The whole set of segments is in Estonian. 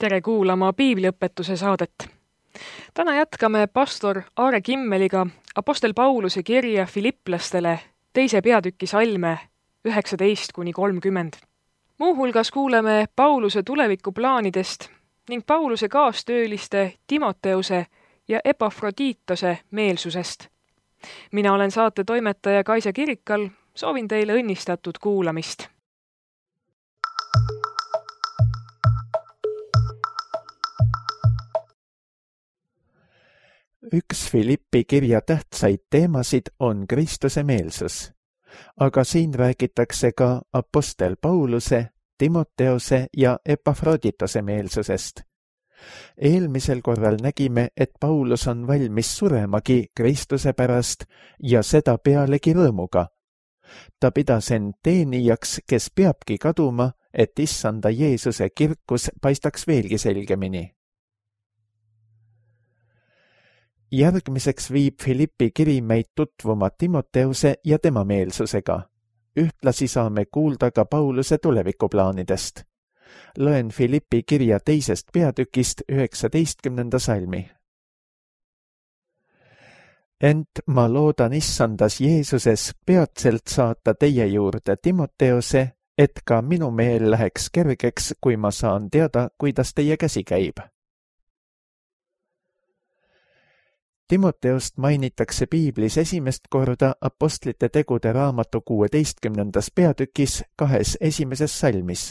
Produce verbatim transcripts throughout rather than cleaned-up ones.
tere kuulama piibliõpetuse saadet. Täna jätkame pastor Aare Kimmeliga Apostel Pauluse kirja Filipplastele teise peatüki salme üheksateist kuni kolmkümmend. Muuhulgas kuuleme Pauluse tulevikuplaanidest ning Pauluse kaastööliste Timoteuse ja Epafroditose meelsusest. Mina olen saate toimetaja Kaisa Kirikal, soovin teile õnnistatud kuulamist. Üks Filippi kirja tähtsaid teemasid on Kristuse meelsus, aga siin räägitakse ka Apostel Pauluse, Timoteuse ja Epafroditose meelsusest. Eelmisel korral nägime, et Paulus on valmis suremagi Kristuse pärast ja seda pealegi rõõmuga. Ta pidas end teenijaks, kes peabki kaduma, et issanda Jeesuse kirkus paistaks veelgi selgemini. Järgmiseks viib Filippi kiri meid tutvuma Timoteuse ja tema meelsusega. Ühtlasi saame kuulda ka Pauluse tulevikuplaanidest. Loen Filippi kirja teisest peatükist üheksateistkümnenda salmi. Ent ma loodan issandas Jeesuses peatselt saata teie juurde Timoteuse, et ka minu meel läheks kergeks, kui ma saan teada, kuidas teie käsi käib. Timoteost mainitakse piiblis esimest korda Apostlite tegude raamatu kuueteistkümnendas peatükis kahes esimeses salmis.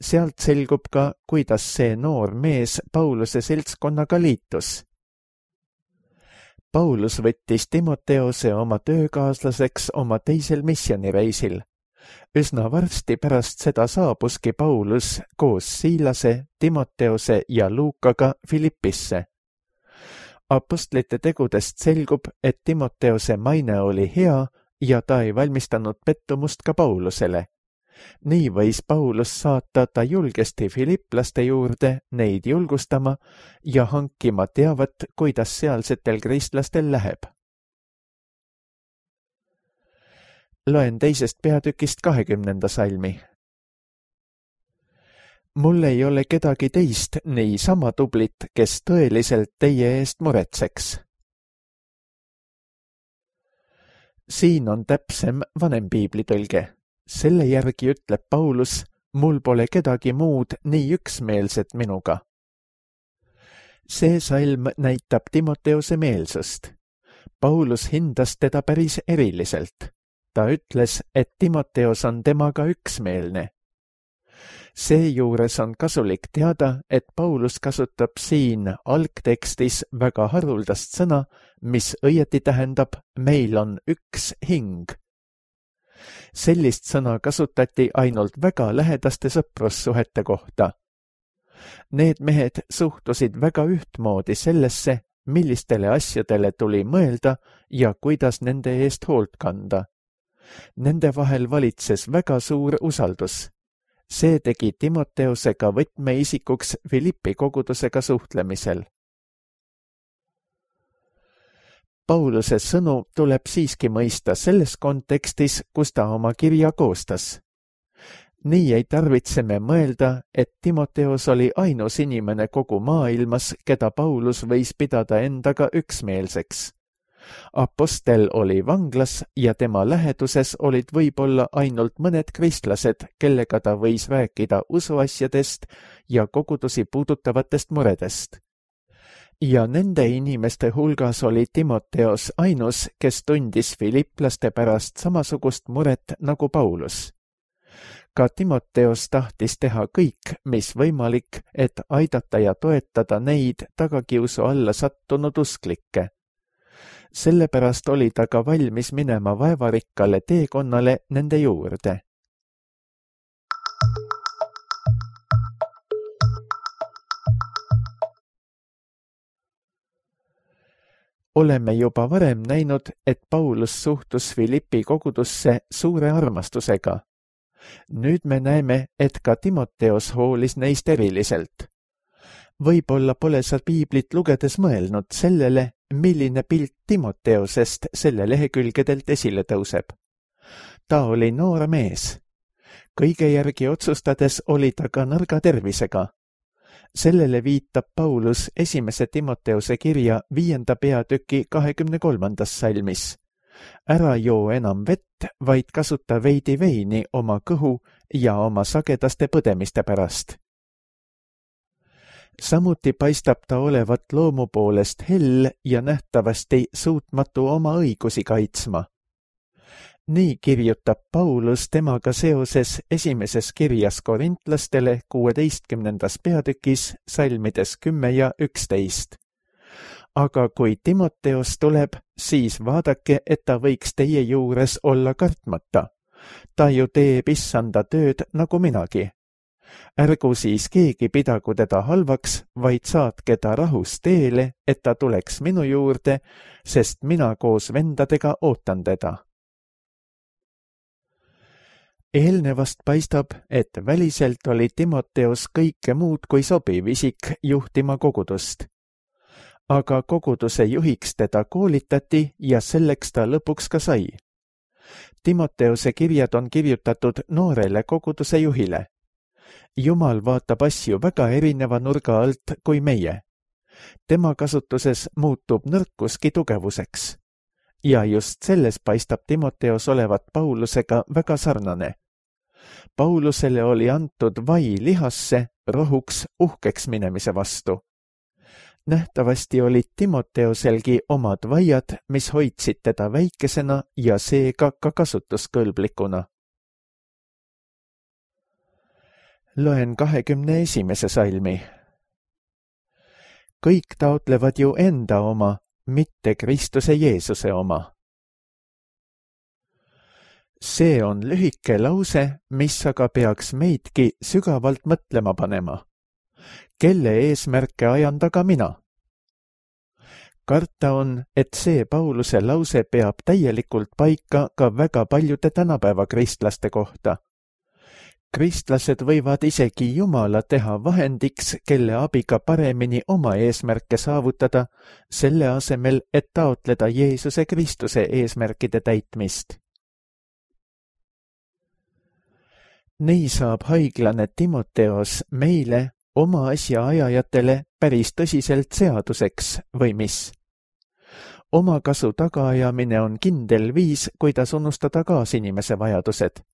Sealt selgub ka, kuidas see noor mees Pauluse seltskonnaga liitus. Paulus võttis Timoteose oma töökaaslaseks oma teisel missionireisil. Üsna varsti pärast seda saabuski Paulus koos Siilase, Timoteose ja Luukaga Filippisse. Apostlite tegudest selgub, et Timoteose maine oli hea ja ta ei valmistanud pettumust ka Paulusele. Nii võis Paulus saata ta julgesti filipplaste juurde neid julgustama ja hankima teavat, kuidas sealsetel kristlastel läheb. Loen teisest peatükist kahekümnenda salmi. Mul ei ole kedagi teist nii sama tublit, kes tõeliselt teie eest muretseks. Siin on täpsem vanem piiblitõlge. Selle järgi ütleb Paulus, mul pole kedagi muud nii üksmeelset minuga. See salm näitab Timoteuse meelsust. Paulus hindas teda päris eriliselt. Ta ütles, et Timoteos on temaga üksmeelne. Seejuures on kasulik teada, et Paulus kasutab siin algtekstis väga haruldast sõna, mis õieti tähendab, meil on üks hing. Sellist sõna kasutati ainult väga lähedaste sõprussuhete kohta. Need mehed suhtusid väga ühtmoodi sellesse, millistele asjadele tuli mõelda ja kuidas nende eest hoolt kanda. Nende vahel valitses väga suur usaldus. See tegi Timoteusega võtmeisikuks Filippi kogudusega suhtlemisel. Pauluse sõnu tuleb siiski mõista selles kontekstis, kus ta oma kirja koostas. Nii ei tarvitse me mõelda, et Timoteos oli ainus inimene kogu maailmas, keda Paulus võis pidada endaga üksmeelseks. Apostel oli vanglas ja tema läheduses olid võib-olla ainult mõned kristlased, kellega ta võis rääkida usuasjadest ja kogudusi puudutavatest muredest. Ja nende inimeste hulgas oli Timoteos ainus, kes tundis filipplaste pärast samasugust muret nagu Paulus. Ka Timoteos tahtis teha kõik, mis võimalik, et aidata ja toetada neid tagakiusu alla sattunud usklikke. Sellepärast oli ta ka valmis minema vaevarikkale teekonnale nende juurde. Oleme juba varem näinud, et Paulus suhtus Filippi kogudusse suure armastusega. Nüüd me näeme, et ka Timoteos hoolis neist eriliselt. Võib-olla pole sa piiblit lugedes mõelnud sellele, milline pilt Timoteosest selle lehekülgedelt esile tõuseb. Ta oli noor mees. Kõige järgi otsustades oli ta ka nõrga tervisega. Sellele viitab Paulus esimese Timoteuse kirja viienda peatüki kahekümne kolmandas salmis. Ära joo enam vett, vaid kasuta veidi veini oma kõhu ja oma sagedaste põdemiste pärast. Samuti paistab ta olevat loomu poolest hell ja nähtavasti suutmatu oma õigusi kaitsma. Nii kirjutab Paulus temaga seoses esimeses kirjas korintlastele kuueteistkümnendas peatükis salmides kümme ja üksteist. Aga kui Timoteos tuleb, siis vaadake, et ta võiks teie juures olla kartmata. Ta ju teeb issanda tööd nagu minagi. Ärgu siis keegi pidagu teda halvaks, vaid saatke ta rahus teele, et ta tuleks minu juurde, sest mina koos vendadega ootan teda. Eelnevast paistab, et väliselt oli Timoteos kõike muud kui sobiv isik juhtima kogudust. Aga koguduse juhiks teda koolitati ja selleks ta lõpuks ka sai. Timoteuse kirjad on kirjutatud noorele koguduse juhile. Jumal vaatab asju väga erineva nurga alt kui meie. Tema kasutuses muutub nõrkuski tugevuseks. Ja just selles paistab Timoteos olevat Paulusega väga sarnane. Paulusele oli antud vai lihasse rohuks uhkeks minemise vastu. Nähtavasti olid Timoteoselgi omad vaiad, mis hoidsid teda väikesena ja seega ka kasutuskõlblikuna. Loen kahekümne esimese salmi. Kõik taotlevad ju enda oma, mitte Kristuse Jeesuse oma. See on lühike lause, mis aga peaks meidki sügavalt mõtlema panema. Kelle eesmärke ajan taga mina? Karta on, et see Pauluse lause peab täielikult paika ka väga paljude tänapäeva kristlaste kohta. Kristlased võivad isegi Jumala teha vahendiks, kelle abiga paremini oma eesmärke saavutada, selle asemel, et taotleda Jeesuse Kristuse eesmärkide täitmist. Nii saab haiglane Timoteos meile, oma asja ajajatele, päris tõsiselt seaduseks või mis? Oma kasu tagaajamine on kindel viis, kuidas unustada kaasinimese vajadused.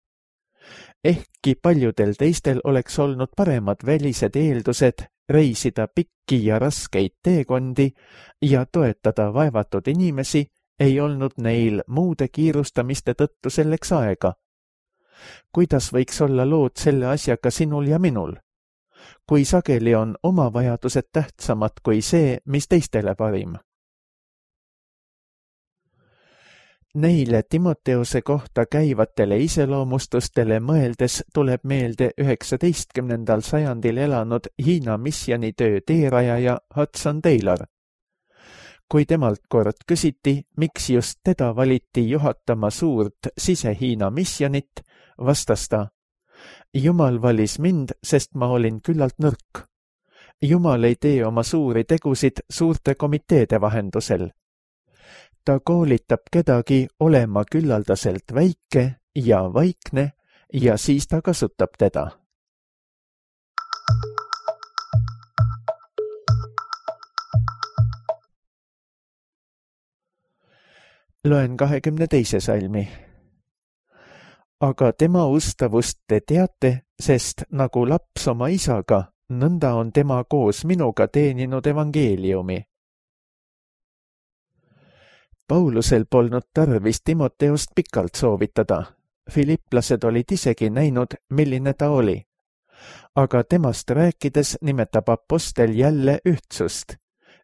Ehkki paljudel teistel oleks olnud paremad välised eeldused reisida pikki ja raskeid teekondi ja toetada vaevatud inimesi, ei olnud neil muude kiirustamiste tõttu selleks aega. Kuidas võiks olla lood selle asjaga sinul ja minul? Kui sageli on oma vajadused tähtsamad kui see, mis teistele parim? Neile Timoteuse kohta käivatele iseloomustustele mõeldes tuleb meelde üheksateistkümnendal sajandil elanud Hiina missionitöö teerajaja Hudson Taylor. Kui temalt kord küsiti, miks just teda valiti juhatama suurt sise-Hiina missionit, vastas ta: Jumal valis mind, sest ma olin küllalt nõrk. Jumal ei tee oma suuri tegusid suurte komiteede vahendusel. Ta koolitab kedagi olema küllaldaselt väike ja vaikne ja siis ta kasutab teda. Loen kahekümne teise salmi. Aga tema ustavust te teate, sest nagu laps oma isaga, nõnda on tema koos minuga teeninud evangeeliumi. Paulusel polnud tarvis Timoteost pikalt soovitada. Filiplased olid isegi näinud, milline ta oli. Aga temast rääkides nimetab apostel jälle ühtsust.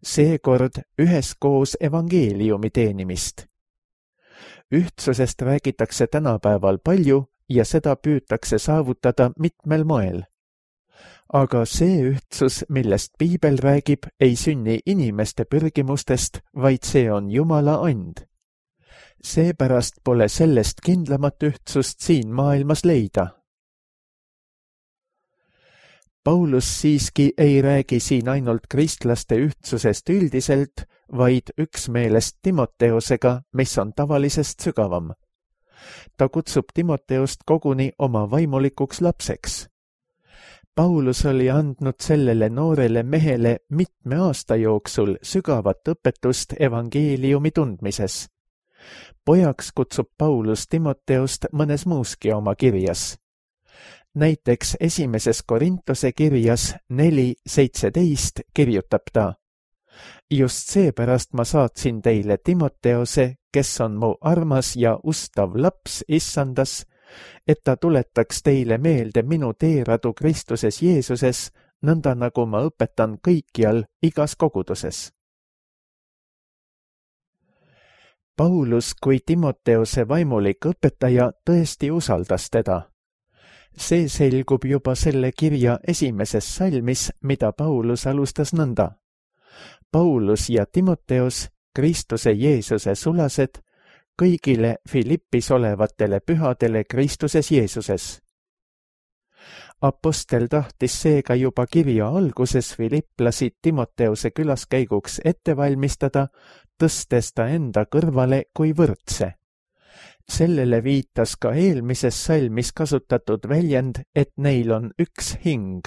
Seekord üheskoos evangeeliumi teenimist. Ühtsusest räägitakse tänapäeval palju ja seda püütakse saavutada mitmel moel. Aga see ühtsus, millest Piibel räägib, ei sünni inimeste pürgimustest, vaid see on Jumala and. Seepärast pole sellest kindlamat ühtsust siin maailmas leida. Paulus siiski ei räägi siin ainult kristlaste ühtsusest üldiselt, vaid üksmeelest Timoteosega, mis on tavalisest sügavam. Ta kutsub Timoteost koguni oma vaimulikuks lapseks. Paulus oli andnud sellele noorele mehele mitme aasta jooksul sügavat õpetust evangeeliumi tundmises. Pojaks kutsub Paulus Timoteost mõnes muuski oma kirjas. Näiteks esimeses Korintuse kirjas neli seitseteist kirjutab ta: just seepärast ma saatsin teile Timoteose, kes on mu armas ja ustav laps issandas, et ta tuletaks teile meelde minu teeradu Kristuses Jeesuses, nõnda nagu ma õpetan kõikjal igas koguduses. Paulus kui Timoteose vaimulik õpetaja tõesti usaldas teda. See selgub juba selle kirja esimeses salmis, mida Paulus alustas nõnda. Paulus ja Timoteos, Kristuse Jeesuse sulased, kõigile Filippis olevatele pühadele Kristuses Jeesuses. Apostel tahtis seega juba kirja alguses filipplasi Timoteose külaskäiguks ette valmistada, tõstes ta enda kõrvale kui võrdse. Sellele viitas ka eelmises salmis kasutatud väljend, et neil on üks hing.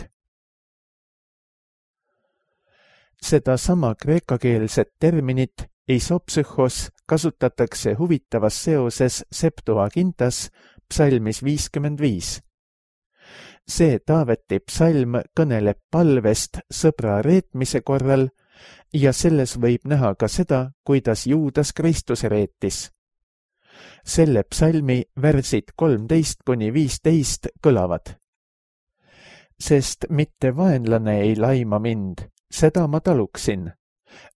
Seda sama kreekakeelset terminit isopsühhos kasutatakse huvitavas seoses Septuagintas psalmis viiskümmend viis. See Taaveti psalm kõneleb palvest sõbra reetmise korral ja selles võib näha ka seda, kuidas Juudas Kristuse reetis. Selle psalmi värsid kolmteist kuni viisteist kõlavad. Sest mitte vaenlane ei laima mind, seda ma taluksin.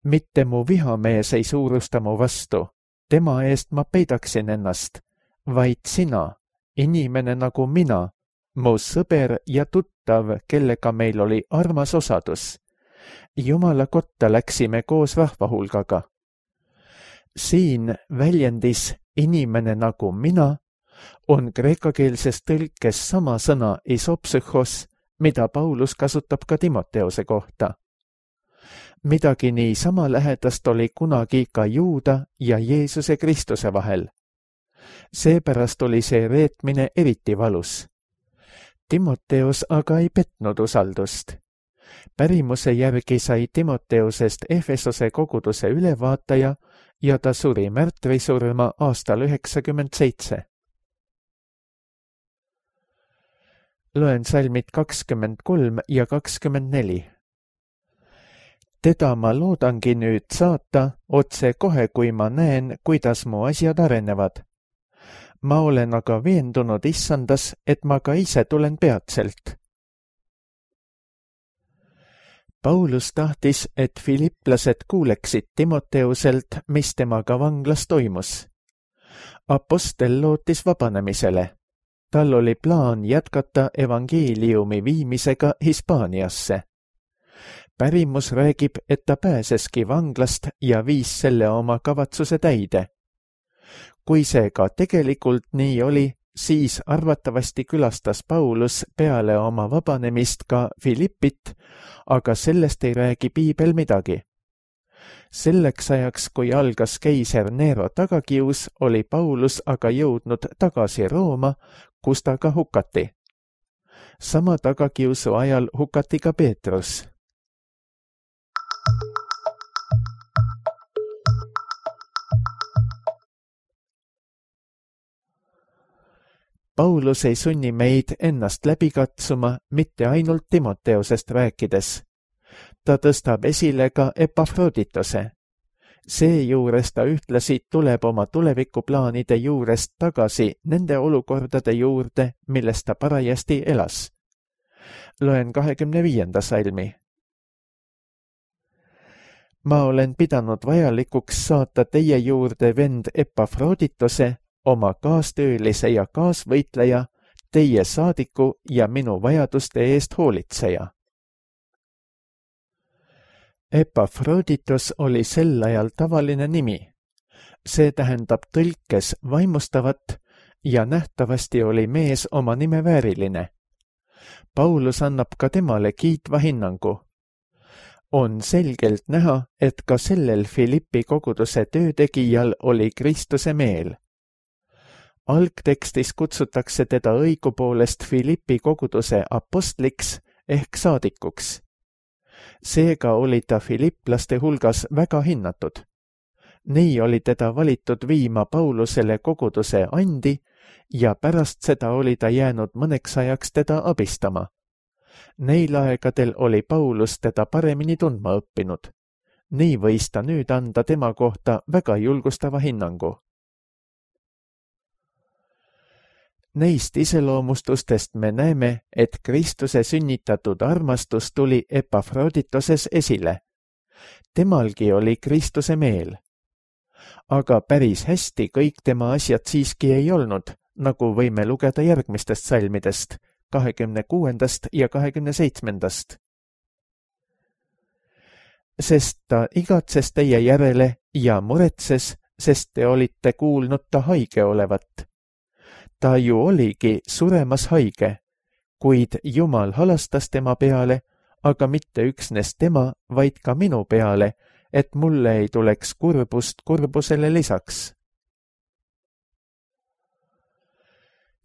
Mitte mu vihamees ei suurusta mu vastu, tema eest ma peidaksin ennast, vaid sina, inimene nagu mina, mu sõber ja tuttav, kellega meil oli armas osadus. Jumala kotta läksime koos rahvahulgaga. Siin väljendis inimene nagu mina on kreekakeelses tõlkes sama sõna isopsühhos, mida Paulus kasutab ka Timoteose kohta. Midagi nii sama lähedast oli kunagi ka Juuda ja Jeesuse Kristuse vahel. Seepärast oli see reetmine eriti valus. Timoteos aga ei petnud usaldust. Pärimuse järgi sai Timoteosest Efesose koguduse ülevaataja ja ta suri märtrisurma aastal üheksakümmend seitse. Loen salmid kakskümmend kolm ja kakskümmend neli. Teda ma loodangi nüüd saata otse kohe, kui ma näen, kuidas mu asjad arenevad. Ma olen aga veendunud issandas, et ma ka ise tulen peatselt. Paulus tahtis, et filipplased kuuleksid Timoteuselt, mis temaga vanglas toimus. Apostel lootis vabanemisele. Tal oli plaan jätkata evangeeliumi viimisega Hispaaniasse. Pärimus räägib, et ta pääseski vanglast ja viis selle oma kavatsuse täide. Kui see ka tegelikult nii oli, siis arvatavasti külastas Paulus peale oma vabanemist ka Filippit, aga sellest ei räägi piibel midagi. Selleks ajaks, kui algas keiser Nero tagakius, oli Paulus aga jõudnud tagasi Rooma, kus ta ka hukati. Sama tagakiusu ajal hukati ka Peetrus. Paulus ei sunni meid ennast läbi katsuma mitte ainult Timoteosest rääkides. Ta tõstab esile ka Epafroditose. Seejuures ta ühtlasi tuleb oma tulevikuplaanide juurest tagasi nende olukordade juurde, milles ta parajasti elas. Loen kahekümne viienda salmi. Ma olen pidanud vajalikuks saata teie juurde vend Epafroditose, oma kaastöölise ja kaasvõitleja, teie saadiku ja minu vajaduste eest hoolitseja. Epafroditos oli sel ajal tavaline nimi. See tähendab tõlkes vaimustavat ja nähtavasti oli mees oma nime vääriline. Paulus annab ka temale kiitva hinnangu. On selgelt näha, et ka sellel Filippi koguduse töötegijal oli Kristuse meel. Algtekstis kutsutakse teda õigupoolest Filippi koguduse apostliks ehk saadikuks. Seega oli ta filiplaste hulgas väga hinnatud. Nii oli teda valitud viima Paulusele koguduse andi ja pärast seda oli ta jäänud mõneks ajaks teda abistama. Neil aegadel oli Paulus teda paremini tundma õppinud. Nii võis ta nüüd anda tema kohta väga julgustava hinnangu. Neist iseloomustustest me näeme, et Kristuse sünnitatud armastus tuli Epafroditoses esile. Temalgi oli Kristuse meel. Aga päris hästi kõik tema asjad siiski ei olnud, nagu võime lugeda järgmistest salmidest, kahekümne kuuendast ja kahekümne seitsmendast. Sest ta igatses teie järele ja muretses, sest te olite kuulnud ta haige olevat. Ta ju oligi suremas haige, kuid Jumal halastas tema peale, aga mitte üksnes tema, vaid ka minu peale, et mulle ei tuleks kurbust kurbusele lisaks.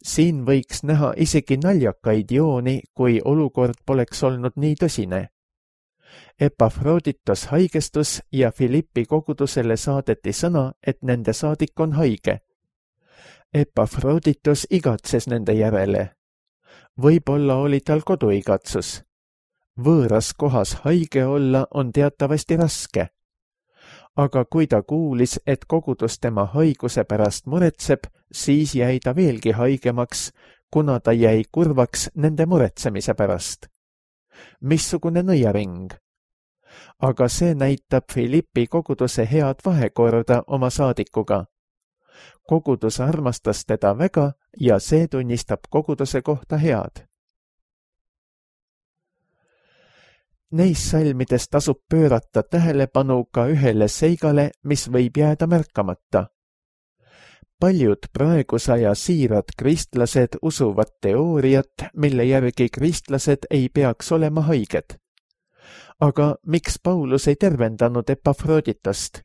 Siin võiks näha isegi naljakaid jooni, kui olukord poleks olnud nii tõsine. Epafroditos haigestus ja Filippi kogudusele saadeti sõna, et nende saadik on haige. Epafroditos igatses nende järele. Võib-olla oli tal koduigatsus. Võõras kohas haige olla on teatavasti raske. Aga kui ta kuulis, et kogudus tema haiguse pärast muretseb, siis jäi ta veelgi haigemaks, kuna ta jäi kurvaks nende muretsemise pärast. Missugune nõiaring! Aga see näitab Filippi koguduse head vahekorda oma saadikuga. Kogudus armastas teda väga ja see tunnistab koguduse kohta head. Neis salmides tasub pöörata tähelepanu ka ühele seigale, mis võib jääda märkamata. Paljud praegusaja siirad kristlased usuvad teooriat, mille järgi kristlased ei peaks olema haiged. Aga miks Paulus ei tervendanud Epafroditost?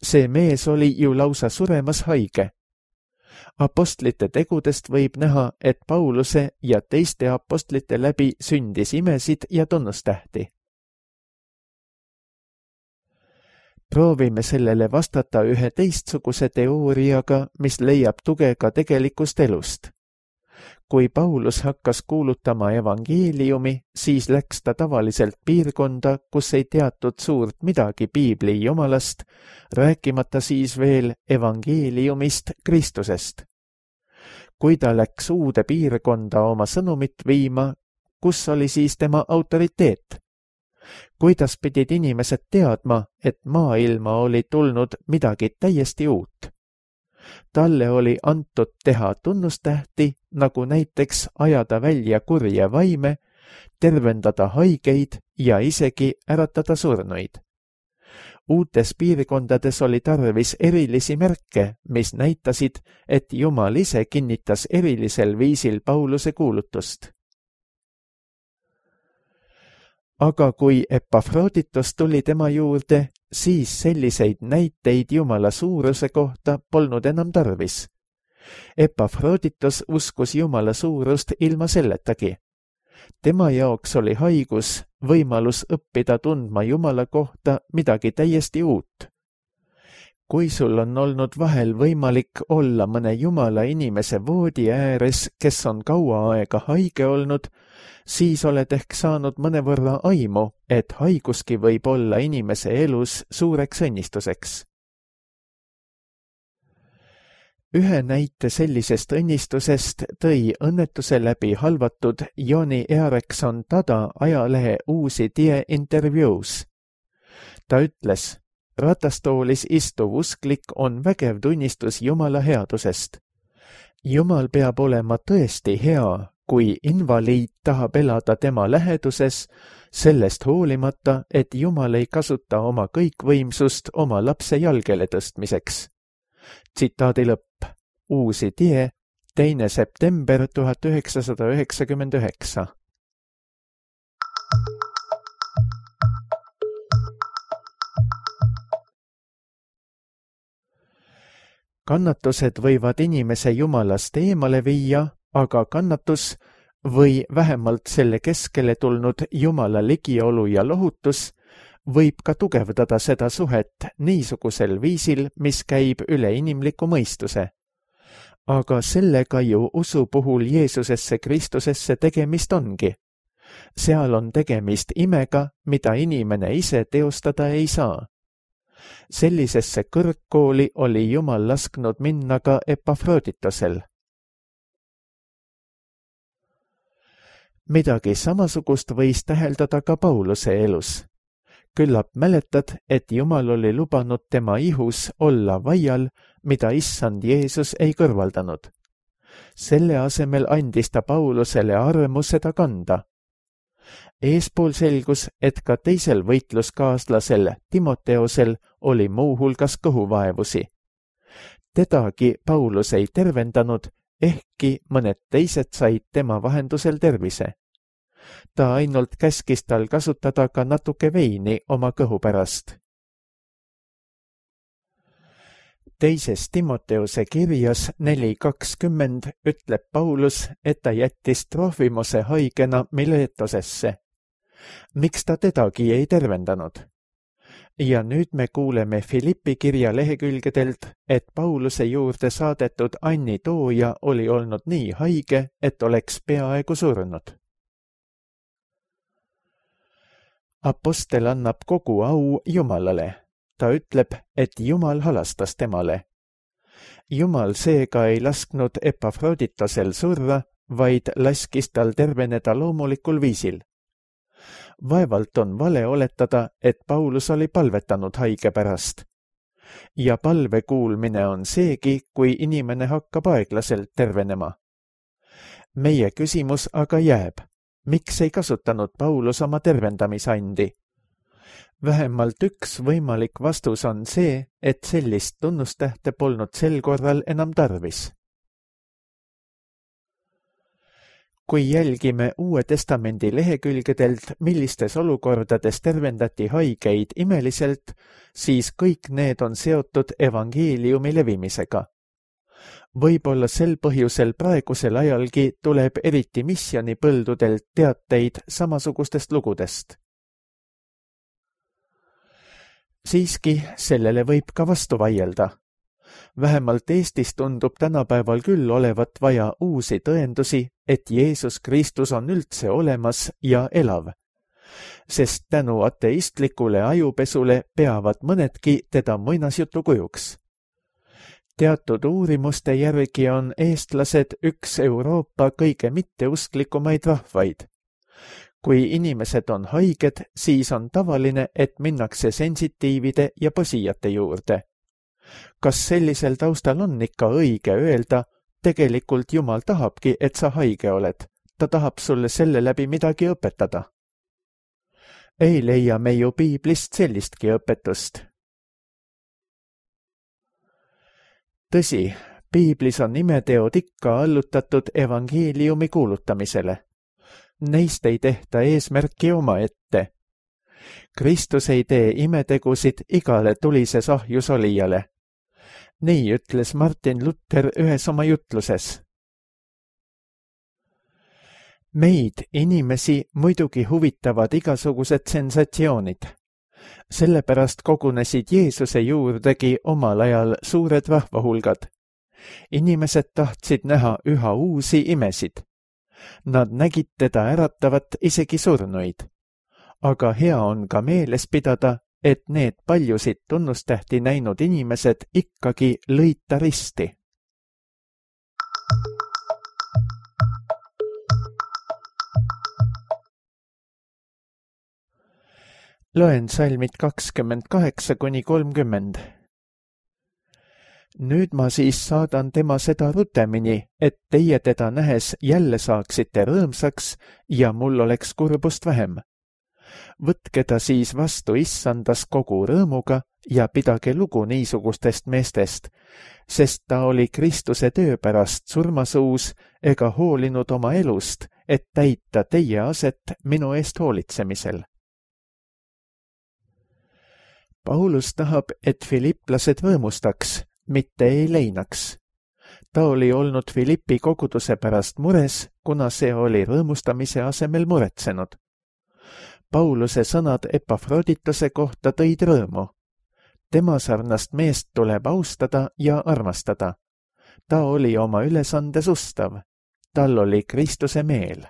See mees oli ju lausa suremas haige. Apostlite tegudest võib näha, et Pauluse ja teiste apostlite läbi sündis imesid ja tunnustähti. Proovime sellele vastata ühe teistsuguse teooriaga, mis leiab tuge ka tegelikust elust. Kui Paulus hakkas kuulutama evangeeliumi, siis läks ta tavaliselt piirkonda, kus ei teatud suurt midagi piibli jumalast, rääkimata siis veel evangeeliumist Kristusest. Kui ta läks uude piirkonda oma sõnumit viima, kus oli siis tema autoriteet? Kuidas pidid inimesed teadma, et maailma oli tulnud midagi täiesti uut? Talle oli antud teha tunnustähti, nagu näiteks ajada välja kurje vaime, tervendada haigeid ja isegi äratada surnuid. Uutes piirkondades oli tarvis erilisi märke, mis näitasid, et Jumal ise kinnitas erilisel viisil Pauluse kuulutust. Aga kui Epafroditos tuli tema juurde, siis selliseid näiteid Jumala suuruse kohta polnud enam tarvis. Epafroditos uskus Jumala suurust ilma selletagi. Tema jaoks oli haigus võimalus õppida tundma Jumala kohta midagi täiesti uut. Kui sul on olnud vahel võimalik olla mõne Jumala inimese voodi ääres, kes on kaua aega haige olnud, siis oled ehk saanud mõnevõrra aimu, et haiguski võib olla inimese elus suureks õnnistuseks. Ühe näite sellisest õnnistusest tõi õnnetuse läbi halvatud Joni Earekson Tada ajalehe Uusi Tie intervjuus. Ta ütles, ratastoolis istuv usklik on vägev tunnistus Jumala headusest. Jumal peab olema tõesti hea, kui invaliid tahab elada tema läheduses, sellest hoolimata, et Jumal ei kasuta oma kõikvõimsust oma lapse jalgele tõstmiseks. Tsitaadi lõpp. Uusi Tie, teine september tuhat üheksasada üheksakümmend üheksa. Kannatused võivad inimese Jumalast eemale viia, aga kannatus või vähemalt selle keskele tulnud Jumala ligiolu ja lohutus võib ka tugevdada seda suhet niisugusel viisil, mis käib üle inimliku mõistuse. Aga sellega ju usu puhul Jeesusesse Kristusesse tegemist ongi. Seal on tegemist imega, mida inimene ise teostada ei saa. Sellisesse kõrgkooli oli Jumal lasknud minna ka Epafroditosel. Midagi samasugust võis täheldada ka Pauluse elus. Küllap mäletad, et Jumal oli lubanud tema ihus olla vaial, mida issand Jeesus ei kõrvaldanud. Selle asemel andis ta Paulusele armu seda kanda. Eespool selgus, et ka teisel võitluskaaslasel Timoteosel oli muu hulgas kõhuvaevusi. Tedagi Paulus ei tervendanud, ehkki mõned teised said tema vahendusel tervise. Ta ainult käskis tal kasutada ka natuke veini oma kõhu pärast. Teises Timoteose kirjas neli kakskümmend ütleb Paulus, et ta jättis Trofimose haigena Miletosesse. Miks ta tedagi ei tervendanud? Ja nüüd me kuuleme Filippi kirja lehekülgedelt, et Pauluse juurde saadetud Anni Tooja oli olnud nii haige, et oleks peaaegu surnud. Apostel annab kogu au Jumalale. Ta ütleb, et Jumal halastas temale. Jumal seega ei lasknud Epafroditosel surra, vaid laskis tal terveneda loomulikul viisil. Vaevalt on vale oletada, et Paulus oli palvetanud haige pärast. Ja palve kuulmine on seegi, kui inimene hakkab aeglaselt tervenema. Meie küsimus aga jääb. Miks ei kasutanud Paulus oma tervendamisandi? Vähemalt üks võimalik vastus on see, et sellist tunnustähte polnud sel korral enam tarvis. Kui jälgime Uue Testamendi lehekülgedelt, millistes olukordades tervendati haigeid imeliselt, siis kõik need on seotud evangeeliumi levimisega. Võib-olla sel põhjusel praegusel ajalgi tuleb eriti missionipõldudelt teateid samasugustest lugudest. Siiski sellele võib ka vastu vaielda. Vähemalt Eestis tundub tänapäeval küll olevat vaja uusi tõendusi, et Jeesus Kristus on üldse olemas ja elav, sest tänu ateistlikule ajupesule peavad mõnedki teda muinasjutu kujuks. Teatud uurimuste järgi on eestlased üks Euroopa kõige mitteusklikumaid rahvaid. Kui inimesed on haiged, siis on tavaline, et minnakse sensitiivide ja põsijate juurde. Kas sellisel taustal on ikka õige öelda, tegelikult Jumal tahabki, et sa haige oled. Ta tahab sulle selle läbi midagi õpetada. Ei leia me ju piiblist sellistki õpetust. Tõsi, piiblis on imeteod ikka allutatud evangeeliumi kuulutamisele. Neist ei tehta eesmärki omaette. Kristus ei tee imetegusid igale tulises ahjus olijale. Nii ütles Martin Luther ühes oma jutluses. Meid, inimesi, muidugi huvitavad igasugused sensatsioonid. Sellepärast kogunesid Jeesuse juurdegi omal ajal suured rahvahulgad. Inimesed tahtsid näha üha uusi imesid. Nad nägid teda äratavat isegi surnuid. Aga hea on ka meeles pidada, et need paljusid tunnustähti näinud inimesed ikkagi lõid ta risti. Loen salmid kakskümmend kaheksa kuni kolmkümmend. Nüüd ma siis saadan tema seda rutemini, et teie teda nähes jälle saaksite rõõmsaks ja mul oleks kurbust vähem. Võtke ta siis vastu issandas kogu rõõmuga ja pidage lugu niisugustest meestest, sest ta oli Kristuse töö pärast surmasuus ega hoolinud oma elust, et täita teie aset minu eest hoolitsemisel. Paulus tahab, et filiplased rõõmustaks, mitte ei leinaks. Ta oli olnud Filippi koguduse pärast mures, kuna see oli rõõmustamise asemel muretsenud. Pauluse sõnad Epafrodituse kohta tõid rõõmu. Tema sarnast meest tuleb austada ja armastada. Ta oli oma ülesandes ustav. Tal oli Kristuse meel.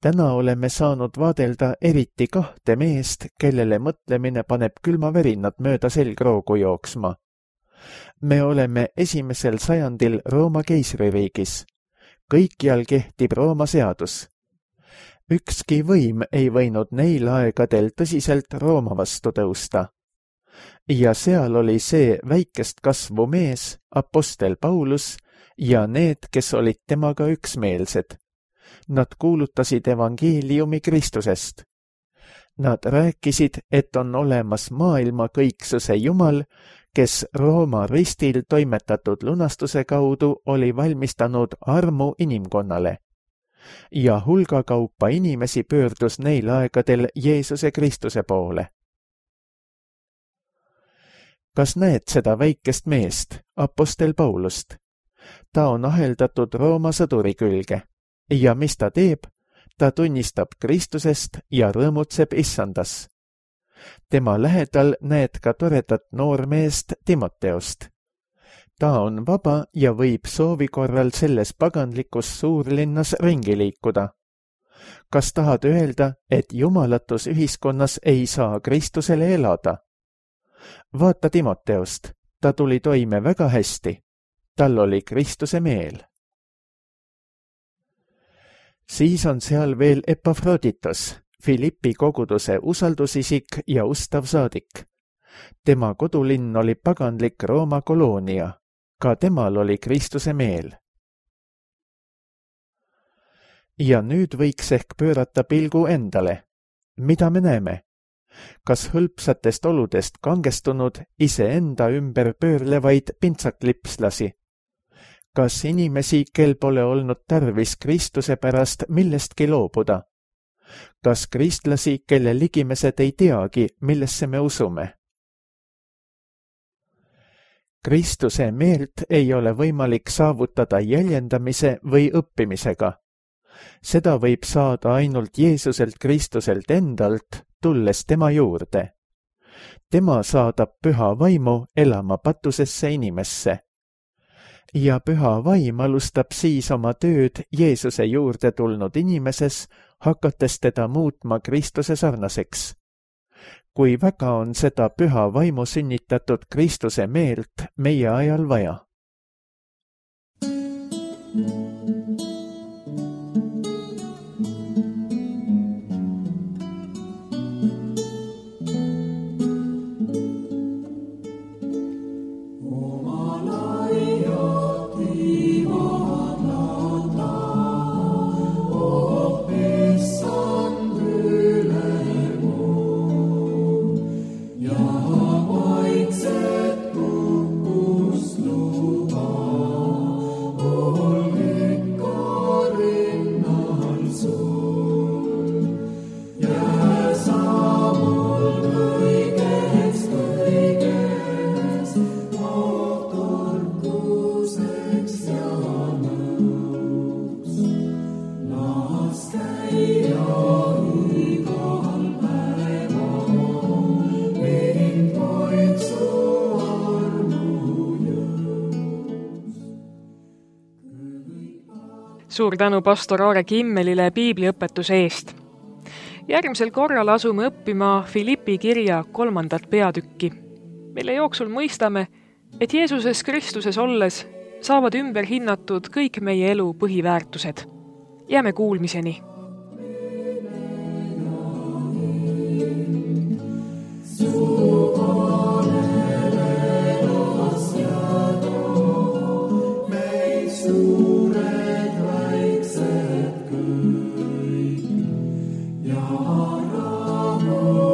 Täna oleme saanud vaadelda eriti kahte meest, kellele mõtlemine paneb külmavärinad mööda selgroogu jooksma. Me oleme esimesel sajandil Rooma keisririigis. Kõikjal kehtib Rooma seadus. Ükski võim ei võinud neil aegadel tõsiselt Rooma vastu tõusta. Ja seal oli see väikest kasvu mees, apostel Paulus, ja need, kes olid temaga üksmeelsed. Nad kuulutasid evangeeliumi Kristusest. Nad rääkisid, et on olemas maailma kõiksuse Jumal, kes Rooma ristil toimetatud lunastuse kaudu oli valmistanud armu inimkonnale. Ja hulgakaupa inimesi pöördus neil aegadel Jeesuse Kristuse poole. Kas näed seda väikest meest, apostel Paulust? Ta on aheldatud Rooma sõduri külge. Ja mis ta teeb? Ta tunnistab Kristusest ja rõõmutseb issandas. Tema lähedal näed ka toredat noormeest Timoteost. Ta on vaba ja võib soovi korral selles paganlikus suurlinnas ringi liikuda. Kas tahad öelda, et jumalatus ühiskonnas ei saa Kristusele elada? Vaata Timoteost, ta tuli toime väga hästi. Tal oli Kristuse meel. Siis on seal veel Epafroditos, Filippi koguduse usaldusisik ja ustav saadik. Tema kodulinn oli paganlik Rooma koloonia. Ka temal oli Kristuse meel. Ja nüüd võiks ehk pöörata pilgu endale. Mida me näeme? Kas hõlpsatest oludest kangestunud iseenda ümber pöörlevaid pintsaklipslasi? Kas inimesi, kel pole olnud tarvis Kristuse pärast millestki loobuda? Kas kristlasi, kelle ligimesed ei teagi, millesse me usume? Kristuse meelt ei ole võimalik saavutada jäljendamise või õppimisega. Seda võib saada ainult Jeesuselt Kristuselt endalt, tulles tema juurde. Tema saadab püha vaimu elama patusesse inimesse. Ja püha vaim alustab siis oma tööd Jeesuse juurde tulnud inimeses, hakates teda muutma Kristuse sarnaseks. Kui väga on seda püha vaimu sünnitatud Kristuse meelt meie ajal vaja? Suur tänu pastor Aare Kimmelile piibliõpetuse eest. Järgmisel korral asume õppima Filippi kirja kolmandat peatükki, mille jooksul mõistame, et Jeesuses Kristuses olles saavad ümber hinnatud kõik meie elu põhiväärtused. Jääme kuulmiseni. Ja rahu